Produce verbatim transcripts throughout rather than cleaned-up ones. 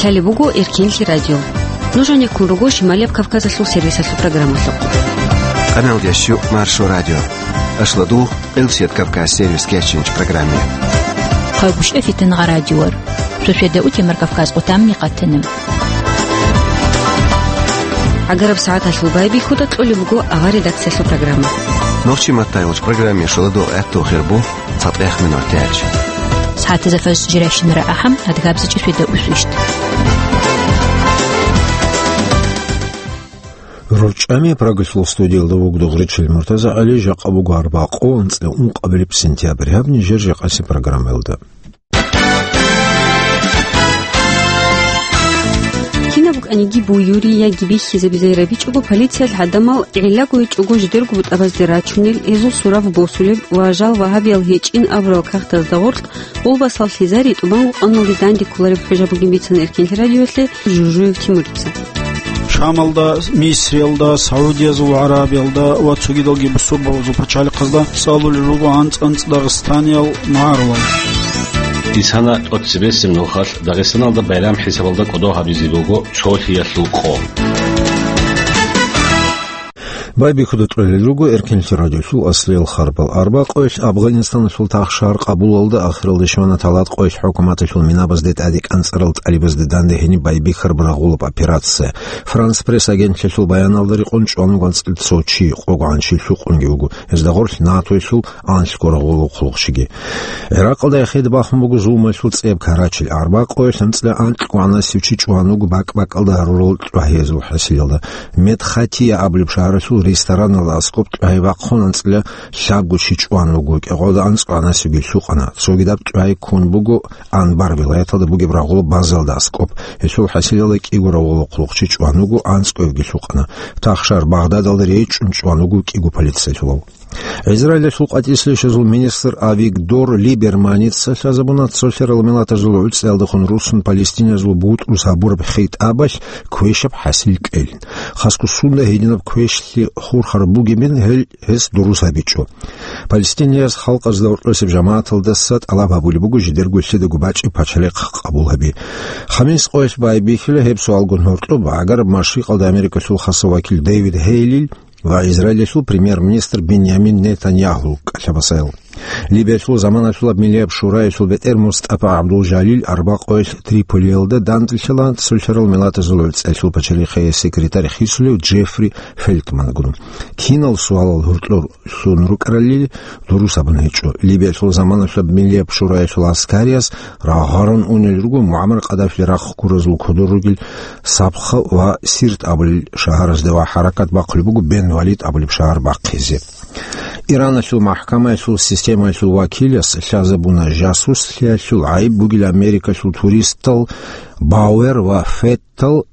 Гьале буго Эркенлъи радио. Нуж гьанеккун руго Шималияб Кавказалъул сервисалъул программалъухъ. Къаналдиясчу Маршо радио. Ашладу Элсият Кавказ сервис кечинч программе. Хъагушев Фитнагъа радиор. Суседа утемар Кавказ къутамни къатанам. ГӀагараб сагӀаталъул байбихьуда кьолеб буго авар редакциялъул программа. Нохчи маттайолч программе шоладо гӀатту хирбу цатӀех минут тяч. СагӀатазда фарз жиращинара ахӀам, адгабзачӀи суседа усвищт. РорчӀами Прагалъул студиялда вугдугъричил МуртазагӀали, жакъа буго арбакъо, анцӀила ункъабилеб сентябрь. Гьаб нижер жакъаси программаялда. Кинаб букӀаниги буюри яги бихьизабизай рабичӀого, полициялъ гӀадамал гӀиллаго гьечӀого жидерго бутӀабазде рачунел, гьезул сурав босулеб ва жал вагьабиял гьечӀин абурал кагътазда гъоркь, гъулбасал лъизари тӀубан гъукъаналде данде кколареб хӀужа бугин бицана Эркенлъи радиоялъе Жужуев Тимурца. Шамалда, Мисриялда, Саудиязул ГӀарабиялда ва цогидалги бусурбабазул пачалихъазда цӀалулел руго анцӀ-анцӀ дагъистаниял магӀарулал. Исана тӀоцебесеб нухалъ Дагъистаналда байрам хӀисабалда кӀодо гьабизе буго цолъиялъул къо. Байбихьуда кьолел руго Эркенлъи радиолъул аслиял харбал. Арбакъоялъ Афганистаналъул тахшагьар Къабулалда ахиралде щвана талат къоялъ хӀукуматалъул минабазде тӀаде кӀанцӀарал тӀалибазде данде гьениб байбихьараб рагъулаб операция. Франс Пресс агентлъиялъул баяналда рекъон чӀван вуго анцӀила цо чи, къогогӀан чи лъукъунги вуго. Гьезда гъорлъ НАТОялъул анлъго рагъулаб хъулухъчиги. ГӀиракъалда эхеде бахун буго зулмуялъул цӀеб ккарачил. Арбакъоялъ анцӀила анкьгогӀанасев чи чӀван вуго бакӀ-бакӀалда гьарурал тӀагӀазул хӀасилалда. Медхатия абулеб шагьаралъул рестораналда аскӀоб тӀагӀи вахъун анцӀила лъабго чи чӀван вуго, кӀикъоялда анцӀгогӀанасевги лъукъана. Цогидаб тӀагӀи ккун буго Анбар вилаяталда бугеб рагъулаб базалда аскӀоб. Гьелъул хӀасилалда кӀиго рагъулаб хъулухъчи чӀван вуго, анцӀгоябги лъукъана. Тахшагьар Багъдадалда речӀчӀун чӀван вуго кӀиго полицейалъулав. Израилалъул къватӀислъи яшазул министр Авигдор Либерманица лъазабуна цолъарал миллатазул гӀуцӀиялдехун руссун палестиниязул бутӀрус гьабураб хитӀабалъ квешаб хӀасил кьелин. Хасго сунда гьединаб квешлъи хурхараб бугебин гьел гьес дурус гьабичӀо. Палестинияз халкъазда гьоркьосеб жамагӀаталдаса тӀалаб гьабулеб буго жидерго лъидаго бачӀи пачалихъ къабул гьаби. Хамис къоялъ байбихьила гьеб суалгун гьоркьоб гӀагараб Машрикъалда Америкалъул хасав вакил Дэвид Гьейлил ва Израилалъул премьер-министр Биньямин Нетаньяху кӀалъабасаял. Либиялъул заманалъулаб Миллияб шураялъул бетӀер МустӀафа ГӀабдул-Жалил арбакъоялъ Триполиялда данделъила цолъарал миллатазул гӀуцӀиялъул пачалихъее секретарь хисулев Джеффри Фелтмангун. Кинал суалал гьоркьор лъун рукӀаралли, дурус абун гьечӀо. Либиялъул заманалъулаб Миллияб шураялъул гӀаскарияс рагъарун унел руго МугӀаммар Къаддафили рахъ гуразул кодор ругел Сабха ва Сирт абулел шагьаразда ва хӀаракат бахъулеб буго Бен Валид абулеб шагьар бахъизе. Ираналъул махӀкамаялъул системаялъул вакилас лъазабуна жасуслъиялъул гӀайиб бугел Америкалъул туристал Бауэр ва Феттал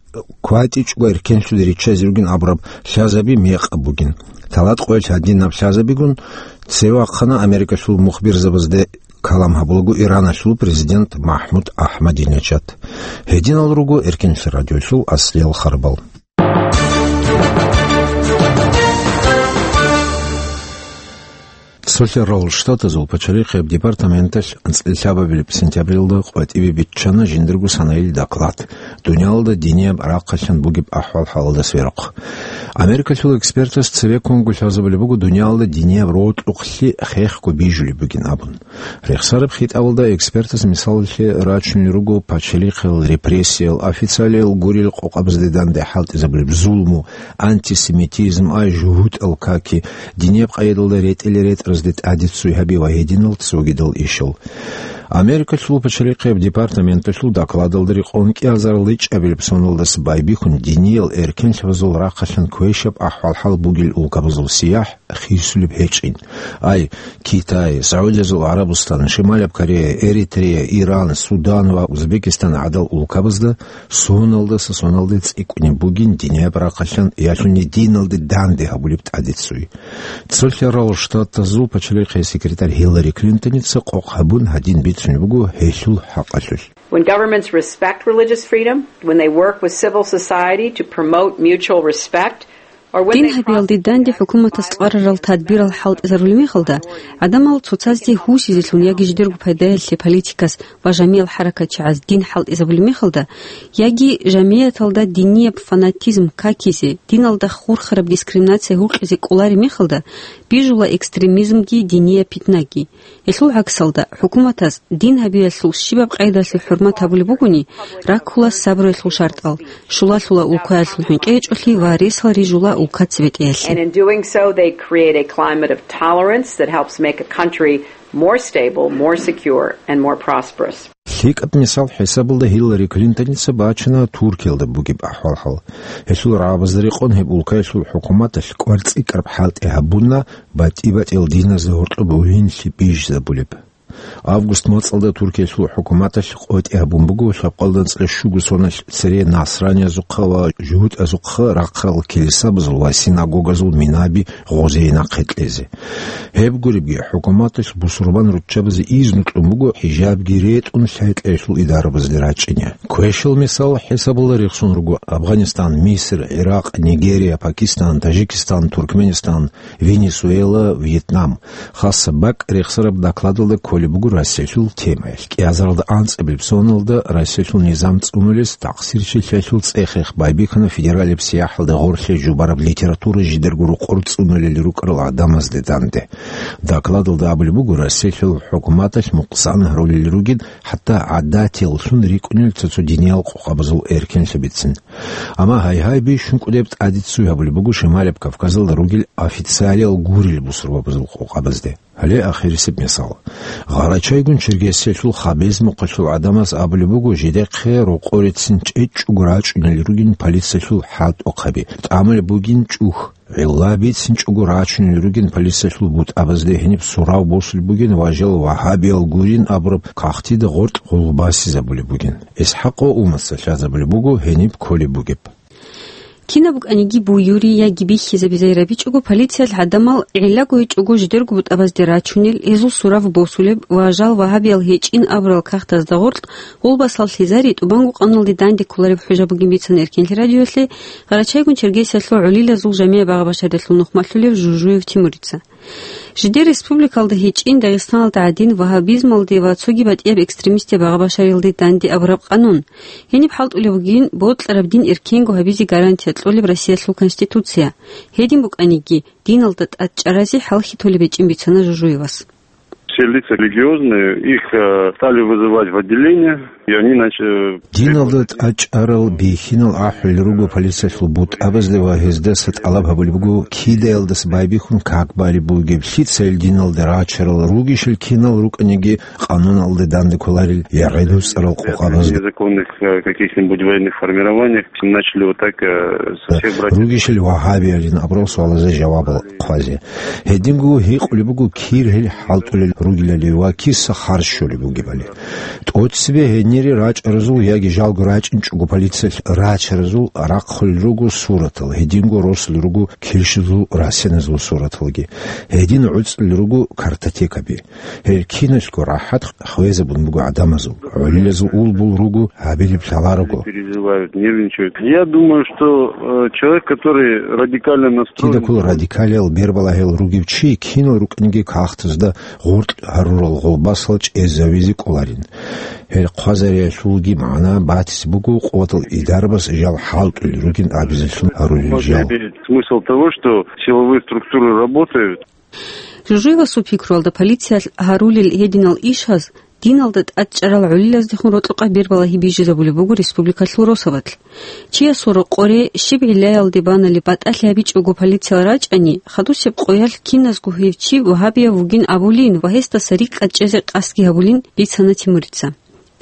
кватӀичӀого эркенлъуде риччазе ругин абураб лъазаби мекъаб бугин. Талат къоялъ гьадинаб лъазабигун цеве вахъана Америкалъул мухбирзабазде калам гьабулаго Ираналъул президент МахӀмуд Ахмадинежад. Гьединал руго Эркенлъи радиоялъул аслиял харбал. Цолъарал Штатазул пачалихъияб департаменталъ анцӀила лъабабилеб сентябрилда къватӀибе биччана жиндирго санаил доклад, дуниялалда динияб рахъалъан бугеб ахӀвал-хӀалалда сверухъ. Америкалъул экспертас цеве ккунго лъазабулеб буго дуниялалда динияб рокьукълъи хехго бижулеб бугин абун. Рехсараб хитӀабалда экспертас мисалалъе рачунел руго пачалихъиял репрессиял, официалиял гурел къокъабазде данде хӀалтӀизабулеб зулму, антисемитизм, ай жугьутӀал каки, динияб къайдалда ретӀел-ретӀразде тӀаде ццуй гьаби ва гьединал цогидал ишал. Америкалъул пачалихъияб департаменталъул докладалда рекъон кӀиазарал ичӀабилеб соналдаса байбихьун диниял эркенлъабазул рахъалъан квешаб ахӀвал-хӀал бугел улкабазул сияхӀ хисулеб гьечӀин. Ай, Китай, Саудиязул ГӀарабустан, Шималаб Корея, Эритрея, Иран, Судан ва Узбекистан гӀадал улкабазда соналдаса соналде цӀикӀкӀунеб бугин динияб рахъалъан ялъуни диналде данде гьабулеб тӀаде ццуй. Цолъарал Штатазул пачалихъияс секретарь Хиллари Клинтоница къокъ гьабун гьадин бицунеб буго гьелъул хӀакъалъулъ. When governments respect religious freedom, when they work with civil society to promote mutual respect, Дин гьабиялде данде хӀукуматас кьварарал тадбирал хӀалтӀизарулеб мехалда, гӀадамал цоцазде гьусизелъун яги жидерго пайдаялъе политикас ва жамигӀал хӀаракатчагӀаз дин хӀалтӀизабулеб мехалда, яги жамигӀаталда динияб фанатизм какизе, диналда хурхараб дискриминация гьукъизе кӀолареб мехалда, бижула экстремизмги динияб питнаги. Гьелъул гӀаксалда, хӀукуматас дин гьабиялъул щибаб къайдалъе хӀурмат гьабулеб бугони, раккула сабруялъул шартӀал, щулалъула улкаялъул хӀинкъичӀолъи ва ресал рижула улкаца бетӀиялъе. And in doing so, they create a climate of tolerance that helps make a country more stable, more secure, and more prosperous. ЛъикӀаб мисал хӀисабалда Гьиллари Клинтоница бачана Туркиялда бугеб ахӀвал-хӀал. Гьелъул рагӀабазда рекъон гьеб улкаялъул хӀукуматалъ кӀвар цӀикӀкӀараб хӀалтӀи гьабуна, батӀи-батӀиял диназда гьоркьоб гьуинлъи бижизабулеб. Август моцӀалда Туркиялъул хӀукуматалъ къотӀи гьабун буго лъабкъоялда анцӀила щуго соналъ цере насраниязухъа ва жугьутӀазухъа рахъарал килисабазул ва синагогазул минаби гъозие нахъе кьезе. Гьеб гуребги, хӀукуматалъ бусурбан руччабазе изну кьун буго хӀижабги ретӀун лъай-лъаялъул идарабазде рачӀине. Квешал мисал хӀисабалда рехсон руго Афганистан, Миср, Иракъ, Нигерия, Пакистан, Таджикистан, Туркменистан, Венесуэла, Вьетнам. Хасаб бакӀ рехсараб докладалда кколеб буго Россиялъул темаялъ. КӀиазаралда анцӀабилеб соналда Россиялъул низам цӀунулес такъсирчилъиялъул цӀех-рех байбихьана федералияб сияхӀалда гъорлъе жубараб литература жидерго рокъор цӀунулел рукӀарал гӀадамазде данде. Докладалда абулеб буго, Россиялъул хӀукуматалъ мукъсан гьарулел ругин, хӀатта гӀадатияллъун рикӀкӀунел цо-цо диниял къокъабазул эркенлъабицин. Амма гьай-гьай бищун кӀудеб тӀадиццуй гьабулеб буго Шималияб Кавказалда ругел официалиял гурел бусурбабазул къокъабазде. Гьале ахирисеб мисал. Гъарачайгун Чергесиялъул Хабезмухъалъул гӀадамаз абулеб буго, жидехъе рокъорецин чӀечӀого рачӀунел ругин полициялъул хӀалтӀухъаби, тӀамулеб бугин чӀухь. ГӀилла бицинчӀого рачунел ругин полициялъул бутӀабазде, гьениб сурав босулеб бугин ва жал вагьабиял гурин абураб кагътида гъоркь гъулгъбасизабулеб бугин. ИсхӀакъ ва Умаца лъазабулеб буго гьениб кколеб бугеб. Кинаб букӀаниги буюри яги бихьизабизай рабичӀого, полициялъ гӀадамал гӀиллаго гьечӀого жидерго бутӀабазде рачунел, гьезул сурав босулеб ва жал вагьабиял гьечӀин абурал кагътазда гъоркь гъулгъбасал лъазари тӀубанго къануналде данде кколареб хӀужа бугин бицана Эркенлъи радиоялъе Къарачайгун Чергесиялъул гӀолилазул жамигӀ багъа-башариялъул нухмалъулев Жужуев Тимурица. Жидер республикалда гьечӀин Дагъистаналда гӀадин вагьабизмалде ва цоги батӀияб экстремистаб багъа-башариялде данде абураб къанун. Гьениб хӀалтӀулеб бугин бокьараб дин эркенго гьабизе гарантия кьолеб Россиялъул Конституция. Гьедин букӀаниги, диналда тӀад чӀаразе хӀалхьи толеб гьечӀин бицана Жужуевас. Все лица религиозные, их, э, стали вызывать в отделение, и они начали... Диналда тӀад чӀарал бихьинал ахӀулел руго полициялъул бутӀабазде ва гьездаса тӀалаб гьабулеб буго, кидаялдаса байбихьун как балеб бугеб, лъицайил диналда рачарал ругищал кинал рукӀаниги къануналда данде кколарел ягъи дуцӀарал къокъабазда. Незаконных, э, каких-нибудь военных формированиях начали вот так, э, со всех братьев. Ругищал вагьабиялин абурал суалазе жавабал хъвазе. Гьединго гьикъулеб буго кир гьел хӀалтӀулел ругелали ва киса харж щолеб бугебали. ТӀоцебе гьенире рачӀаразул яги жалго рачӀинчӀого полициялъ рачаразул рахъулел руго суратал, гьединго росулел руго килщазул расеназул сураталги. Гьедин гӀуцӀулел руго картотекаби. Гьел киналъго рахӀат хвезабун буго гӀадамазул, гӀолилазул улбул руго гьабилеб лъаларого. Переживают, нервничают. Я думаю, что, э, человек, который радикально настроен... Кидакул радикалиял бербалагьел ругев чи кинал рукӀинги кагътазда гъоркь гьарурал гъулбасал чӀезавизе кӀоларин. Гьел хъвазариялъулги магӀна батизе буго, къуватал идарабаз жал хӀалтӀулел ругин абизеллъун гьарулел жал. Может иметь смысл того, что силовые структуры работают. Жужуевасул пикруялда, полициялъ гьарулел гьединал ишаз диналда тӀад чӀарал гӀолилаздехун рокьукъаб бербалагьи бижизабулеб буго республикалъул росабалъ. Чиясул рокъоре щиб гӀиллаялде банали батӀалъи гьабичӀого полициял рачӀани, хадусеб къоялъ киназго гьев чи вагьабияв вугин абулин ва гьесдаса рикӀкӀад чӀезе къасдги гьабулин, бицана Тимурица.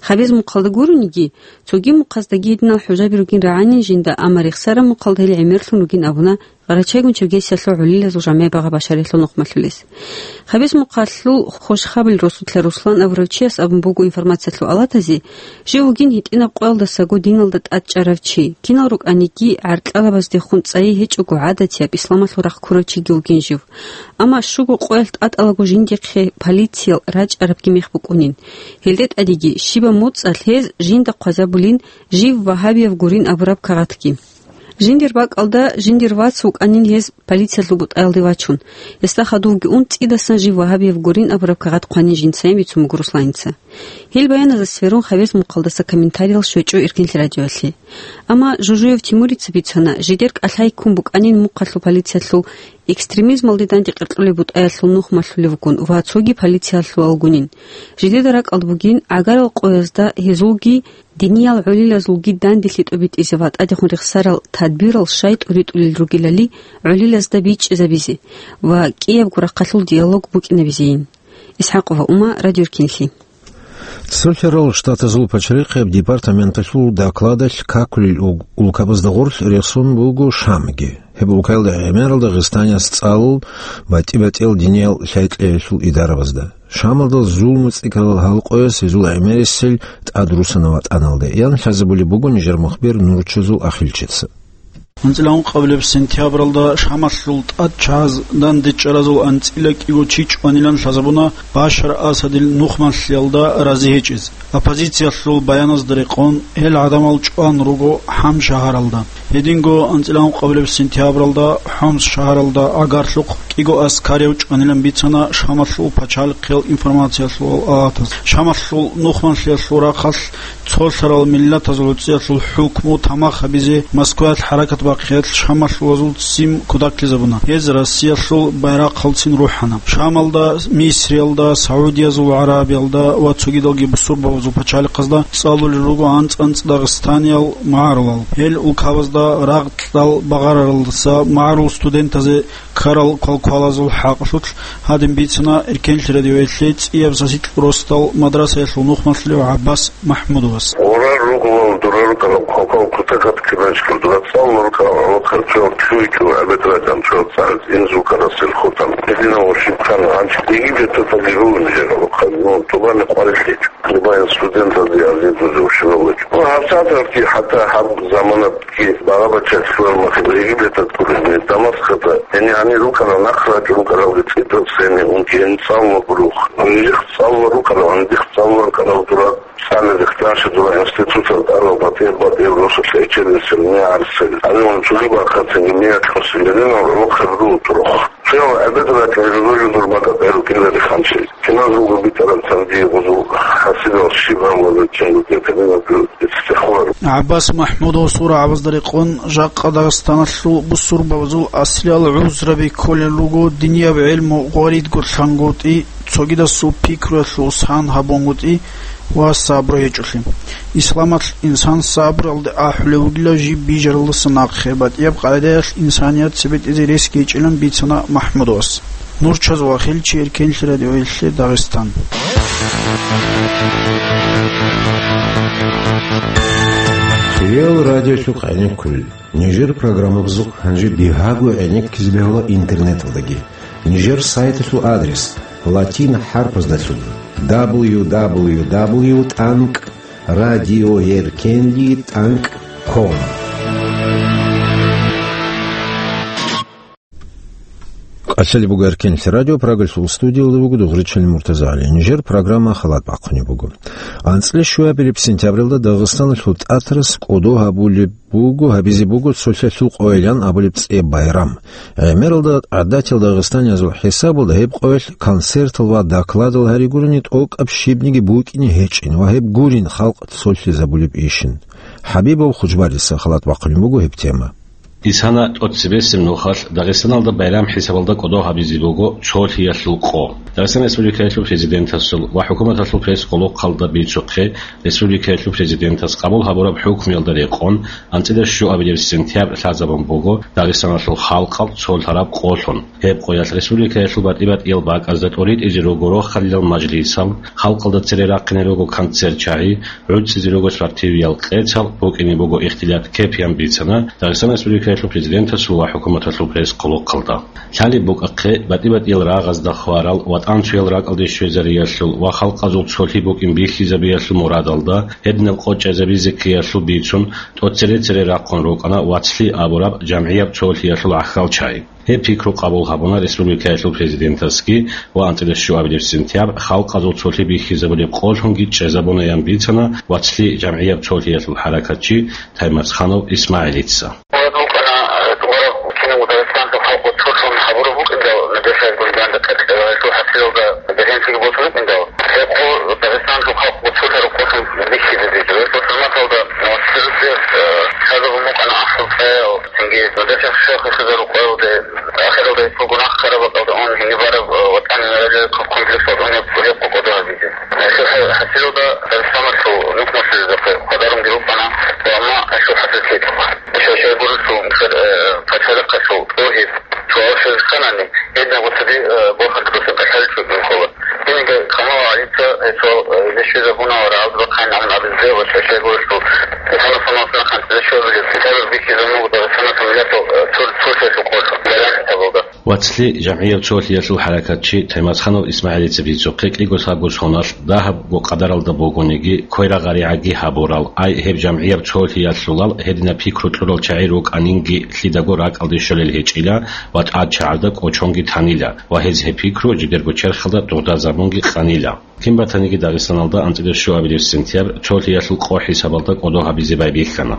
Гьабиз мухъалда гурониги, цоги мухъаздаги гьединал хӀужаби ругин рагӀанин жинда, амма рехсараб мухъалда гьел гӀемерлъун ругин абуна Къарачайгун Чергесиялъул гӀолилазул жамигӀ багъа-башариялъул нухмалъулес. Гьабиз мухъалъул хвешабазул росулъа Руслан абурав чияс абун буго информациялъул алатазе, жив вугин гьитӀинаб къоялдасаго диналда тӀад чӀарав чи, кинал рукӀаниги гӀаркьалабаздехун цӀайи гьечӀого гӀадатияб исламалъул рахъ ккурав чиги вугин жив. Амма щуго къоялъ тӀатӀалаго жиндихъе полициял рачӀарабги мех букӀунин. Гьелде тӀадеги щибаб моцӀалъ гьез жинда хъвазабулин, жив вагьабияв гурин абураб кагъатги. Жиндир бакӀалда жиндир вац вукӀанин гьез полициялъул бутӀаялде вачун. Гьесда хадувги ун, цӀидасан жив вагьабияб гурин абураб кагъат хъванин жинцайин бицун буго Русланица. Гьел баяназда сверун, гьабиз мухъалдаса комментариял щвечӀо Эркенлъи радиоялъе. Амма Жужуев Тимурица бицана, жидер кӀалъай ккун букӀанин мухъалъул полициялъул экстремизмалде дандекъеркьулеб бутӀаялъул нухмалъулев вукӀун ва цоги полициялъулалгунин. Жидеда ракӀалда бугин гӀагарал къоязда гьезулги диниял гӀолилазулги данделъи тӀобитӀизе ва тӀадехун рехсарал тадбирал щай тӀуритӀулел ругелали гӀолилазда бичӀчӀизабизе ва кӀиябго рахъалъул диалог букӀинабизейин. ИсхӀакъова Ума, Радио Эркенлъи. Цолъарал Штатазул пачарихъияб департаменталъул докладалъ какулел ул-, улкабазда гъорлъ рехсон буго Шамги. Гьеб улкаялда гӀемерал Дагъистанияс цӀалул батӀи-батӀиял диниял лъай-кьеялъул идарабазда. Шамалда зулму цӀикӀкӀарал гьал къояс гьезул гӀемерисел тӀадрусана ватӀаналде, ян лъазабулеб буго нижер мухбир Нурчазул Ахилчица. АнцӀила ункъабилеб сентябралда Шамалъул тӀадчагьаз дандечӀаразул анцӀила кӀиго чи чӀванилан лъазабуна Башар Асадил нухмалъиялда рази гьечӀез. Оппозициялъул баяназда рекъон, гьел гӀадамал чӀван руго Хьам шагьаралда. Гьединго анцӀила ункъабилеб сентябралда Хомс шагьаралда гӀагарлъухъ кӀиго аскарияв чӀванилан бицана Шамалъул пачалихъиял информациялъул авалатаз. Шамалъул нухмалъиялъул рахъалъ цолъарал миллатазул гӀуцӀиялъул хӀукму тамах гьабизе Москваялъ хӀаракат бахъиялъ шамалъулазул ццин кутакизабуна. Гьез Россиялъул байрахъалцин рухӀана. Шамалда, Мисриялда, Саудиязул ГӀарабиялда ва цогидалги бусурбабазул пачалихъазда цӀалулел руго анцӀ-анцӀ дагъистаниял магӀарулал. Гьел улкабазда рагъ кьал багъараралдаса магӀарул студентазе ккарал квалквалазул хӀакълъулъ гьадин бицана Эркенлъи радиоялъе цӀияб сасикь росдал мадрасаялъул нухмалъулев ГӀаббас МахӀмудовас. Гъорар ругулал дурарукала квалквал кутакат кибанчкал дура цӀал луркал гӀалахъарчуял чуйчу гӀебедракӀанчуял цӀараз инзулкарасел хутан. Гьединав ва щибхан гьанчи Египеталдаги ругин жер гӀалахъар, ну, тубани къварилъичӀ. Либаин студентазде азиз ва жившивал вачӀун. Ну, гьабсагӀаталъги хӀатта гьаб заманат Ки багъа-бачалъ лъугьармахъе Египеталъ гуребни, Дамаскалда, гьенир гьанир рукӀарал нахърачӀун рукӀаралги цӀидал цене ункин цӀалула гурухъ. Нижехъ цӀалула рукӀарал, гьанибехъ цӀалула рукӀарал дура цӀализехъ данща дура институтал тӀарал батӀи-батӀиял росулъ гӀечерисел, мегӀарсел, гьаниван цоги бахъатинги мегӀ лъосел гьединал гӀолохъаб руго турухъ. Цоял гӀебедракӀ гьезул жо-, жо-, журмада гӀеру кӀилари хъанчи. Киназулго битӀараб царги гъузул хӀасилал щиб гьавлазул чингуде кабинаб жо-, иццехуар. ГӀаббас МахӀмудов сурагӀабазда рекъон, жакъа Дагъистаналъул бусурбабазул аслиял гӀузраби кколел руго динияб гӀелму гъваридго лъангутӀи, цогидасул пикруялъул сан гьабунгутӀи ва сабру гьечӀолъи. Исламалъ инсан сабралде ахӀулев вугила жиб бижаралдаса нахъе, батӀияб къагӀидаялъ инсаният цебетӀезе рес гьечӀилан бицана МахӀмудовас. Нурчаз ва Хилчи, Эркенлъи радиоялъе Дагъистан. Хириял радиолъухъ гӀенеккулел. Нижер программабазухъ гьанже бигьаго гӀенеккизе бегьула интернеталдаги. Нижер сайталъул адрес латин хӀарпаздалъун: дабл ю дабл ю дабл ю тӀанкӀ радиоеркенлъи тӀанкӀ ком. Къасали буго Эркенлъи радио, Прагалъул студиялда буго Дугъричалин Муртазагьали. Нижер программа халат бахъунеб буго. АнцӀила щуабилеб сентябралда Дагъистаналъул тӀатарас кӀодо гьабулеб буго, гьабизе буго цолъалъул къойилан абулеб цӀе байрам. ГӀемералда гӀадатиял дагъистаниязул хӀисабалда гьеб къоялъ концертал ва докладал гьаригурани тӀокӀаб щибниги букӀине гьечӀин ва гьеб гурин халкъ цолъизабулеб ишин. ХӀабибов Худжбарица халат бахъунеб буго гьеб тема. Исана тӀоцебесеб нухалъ Дагъистаналда байрам хӀисабалда кӀодо гьабизе буго цолъиялъул къо. Дагъистан Республикаялъул Президентасул ва ХӀукуматалъул пресс-къулухъалда бицухъе, республикаялъул Президентас къабул гьабураб хӀукмуялда рекъон, анцӀила щуабилеб сентябрь лъазабун буго Дагъистаналъул халкъал цолъараб къолъун. Гьеб къоялъ республикаялъул батӀи-батӀиял бакӀазда тӀоритӀизе руго рохалилал мажлисал, халкъалда цере рахъине руго концерт-чагӀи, гӀуцӀизе руго спортивиял къецал, букӀине буго ихтилат-кепиян бицана Дагъистан Республикаялъул Президентасул ва ХӀукуматалъул пресс-къулухъалда. Лъалеб букӀахъе, батӀи-батӀиял рагъазда хварал, ватӀан цоял ракӀалде щвезариялъул ва халкъазул цолъи букӀин бихьизабиялъул мурадалда, гьединаб къо чӀезабизе ккеялъул бицун, тӀоцере-цере рахъун рукӀана вацлъи абураб жамгӀияб цолъиялъул гӀахьалчагӀи. Гьеб пикру къабул гьабуна республикаялъул президентасги ва анцӀила щуабилеб сентябрь халкъазул цолъи бихьизабулеб къолъунги чӀезабунаян бицана вацлъи жамгӀияб цолъиялъул хӀаракатчи Таймасханов ИсмагӀилица. Гьелда бегьенлъиги босун букӀиндал, гьеб къо Дагъистаналъул халкъ цо-, цо рукъалъун бихьизе дижо. Гьеб бусурматалда, э, цересел, э, лъазабун букӀана ахӀлъул цӀаял, цинги нудеца шайихзабазул къоялде, ахиралда гьеб гунагь ккараб бакӀалда ун гьениб бараб, э, ВатӀани мемориальный комплекс гьабунеб гьеб къо кӀодо гьабизе. Э, гьеб хӀа-, хӀасилалда Дагъистаналъул нухмалъулезухъе хъвадарунги рукӀана, ва амма гьелъул хӀасил лъикӀ. Щай-щай гурелъул, э, пачалихъалъул тӀогьиб, цо алъузе кканани, гьединаб гъоцаде, э, борхатаб бусурбабаз кӀалъалел чӀухӀун ккола. Гьениги Камал ГӀалица, э, цо, э, зе щвезабуна ва рагӀалда бахъайин абун абизе ва щай-щай гурелъул, э, Дагъистаналъул нахъан зе щвезабулеб китаб бихьизабун буго Дагъистаналъул миллатал, э, цо-, цо-, цолъиялъул къоялъ, Байрам хӀисабалда. Вацлъи, жамгӀияб цолъиялъул хӀаракатчи Таймазханов ИсмагӀилица бицухъе кӀиго-лъабго соналъ дагьабго къадаралда бугониги, кверагъаригӀаги гьабурал, ай, гьеб жамгӀияб цолъиялъулал гьединаб пикру кьурал чагӀи рукӀанинги лъидаго ракӀалде щолел гьечӀила ва тӀадчагӀазда кӀочонги танила ва гьез гьеб пикру жидерго черхалда дугӀдазабунги къанила. Кин батаниги Дагъистаналда анцӀила щуабилеб сентябрь цолъиялъул къо хӀисабалда кӀодо гьабизе байбихьана.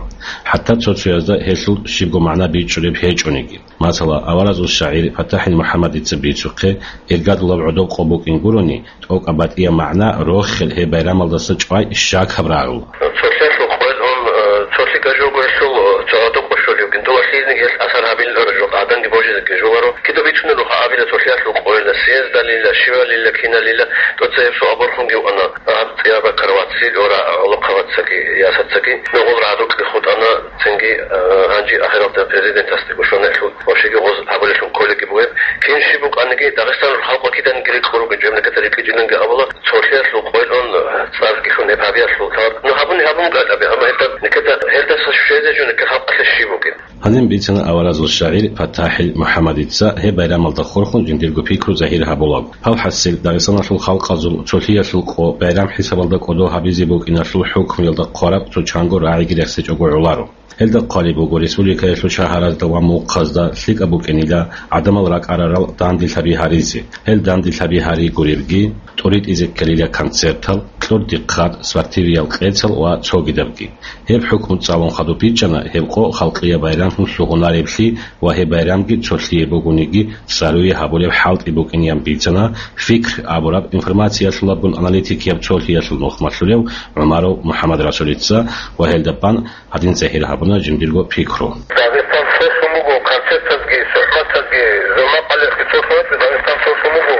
ХӀатта цо-цоязда гьелъул щибго магӀна бичӀчӀулеб гьечӀониги. Масала, аваразул шагӀир ПатахӀил МухӀаммадица бицухъе, иргадулаб гӀодоб къо букӀин гурони, тӀокӀаб батӀияб магӀна рохел гьеб байрамалдаса чӀвай щакаб рагӀула. Цолъиялъул къоялъ ун, э, цолъи гажуго гьелъул, э, цо гӀодоб къо щолев вукӀин. Дова лъизниги гьелъ асар гьабиларо жо, гӀадамги божизеги жугаро. Кида бицунел руха абила цолъиялъул къоялда съездалила, щивалила, киналила, тӀоцебесеб борхунги вукӀана. Гьаб цӀияб бакарав вацлъил ора гӀолохъабацаги ясацаги нугъул рагӀдукьги хутӀана, цинги, а, гьанже ахиралда президентасдего щвана гьелъул, вообще-ги гъоз гьабулелъул кколеги бугеб. Кин щиб букӀаниги, Дагъистаналъул халкъ киданги рикӀкӀуруго, жеб некӀеда рикӀкӀинчӀониги абула, цолъиялъул къоялъун цӀарги хьун гьеб гьабиялъул тӀад. Ну, гьабуни гьабун букӀа гьеб, амма гьелда некӀеда, гьелдаса щвезе жо некӀер халкъалъе щиб бугеб? Гьанин бицана аваразул шагӀир ПатахӀил МухӀаммадица гьеб байрамалда хурхун жиндирго пикру загьир гьабулаго. Гьав хӀасил Дагъистаналъул халкъазул цолъиялъул къо байрам хӀисабалда кӀодо гьабизе букӀиналъул хӀукмуялда хъвараб цо чанго рагӀиги рехсечӀого гӀоларо. Гьелда хъвалеб буго республикаялъул шагьаразда ва мухъазда лъикӀаб букӀинила гӀадамал ракӀарарал данделъаби гьаризе. Гьел данделъаби гьари гуребги, тӀоритӀизе ккелила концертал, кьурдихъад, спортивиял къецал ва цогидабги. Гьеб хӀукму цӀалун хадуб бичӀчӀана, гьеб къо халкъияб байрамлъун лъугьунареблъи ва гьеб байрамги цолъие бугониги цӀаруе гьабулеб хӀалтӀи букӀинеян бицана, «Фикр» абураб информациялъулабгун аналитикияб цолъиялъул нухмалъулев ГӀумаров МухӀаммадрасулица ва гьелда бан гьадин загьир гьабуна жиндирго пикру. Дагъистан цолъун буго концертазги, сухӀбатазги, зулмакъалихъги цолъун вачӀо, Дагъистан цолъун буго,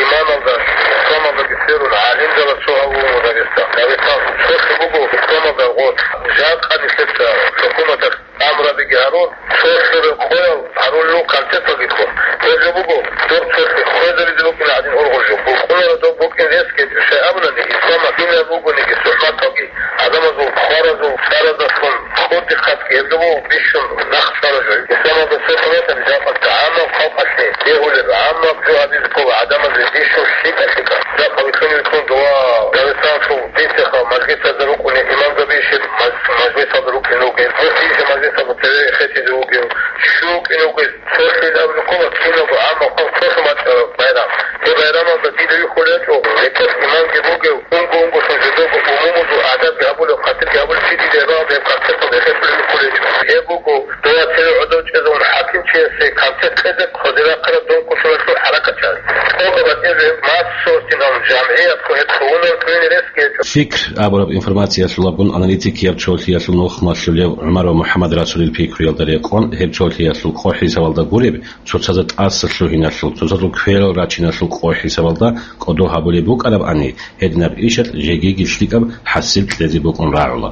иманалда, исламалдаги сверун, гӀалимзабаз цо гьавун Дагъистан. Дагъистан цолъун буго исламалда гъоз, жакъа нилъеца хӀукуматалъ амрабиги гьарун, цолъун къоял гьарулел концерталги ккун. Гьеб жо буго, доб цолъи хвезабизе букӀина гьадин ургъул жо. Букъунара доб букӀин ресги, щай абунани, исламалъ кинаб бугониги сухӀбаталги, гӀадамазул хваразул цӀаразулъун кьурдихъадги гьеб жо буго бищун нахъ цӀара жо. Исламалда цо хӀурматалъе жакъа гӀаммаб халкъалъе бегьулеб, гӀаммаб жо гьабизе ккола гӀадамазе бищун лъикӀа-лъикӀа. Жакъа вихьун-вихьун дова Дагъистаналъул бицеха мажлисазда рукӀунел имамзаби ишеб маж-, мажлисалда рукӀине вугев, муфти ишеб мажлисалда цеве хетизе вугев, щив вукӀине вугев, цолъил абулеб ккола киналго гӀаммаб халкъ цолъун бачӀараб байрам. Гьеб байрамалда дида вихьулев гьечӀо, гьеб имамги бугев, унго-унгосан жидерго умумузул гӀадабги гьабулев, хъатирги гьабулев чи дида гьеб гьеб концерталда эхетӀулев вихьулев гьечӀо. Гьеб буго, дова цеве гӀодов чӀезавун хӀакимчиясе концерт кьезе хъвазе рахъараб дун кколъулалъул хӀаракатчияс. ТӀокӀаб батӀияб массовостин гьабун, жамгӀиятго гьеб лъугьунарев кквезе рес гьечӀо. «Фикр» абураб информациялъулабгун аналитикияб цолъиялъул нухмалъулев ГӀумаров МухӀаммадрасулил пикруялда рекъон, гьеб цолъиялъул къо хӀисабалда гуреб, цоцазда тӀаса лъугьиналъул, цоцазул кверал рачиналъул къо хӀисабалда кӀодо гьабулеб букӀарабани, гьединаб ишалъ жегиги лъикӀаб хӀасил кьезе букӀун рагӀула.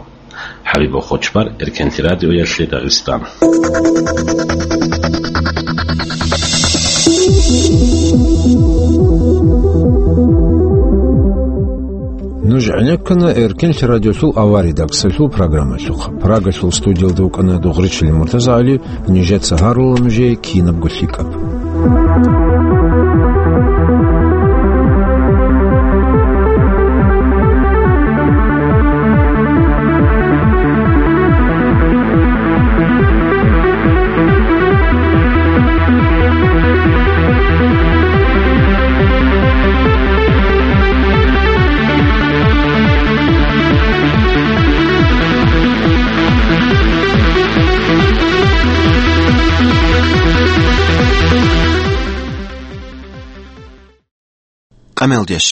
ХӀабиб Бохочбар, Эркенлъи радиоялъе Дагъистан. Нуж гӀенеккана Эркенлъи радиолъул авария дагцалъул программалъухъ. Прагалъул студиялда вукӀана Дугъричилин МуртазагӀали, нижеца гьарула нужее кинабго лъикӀаб. къамелдияс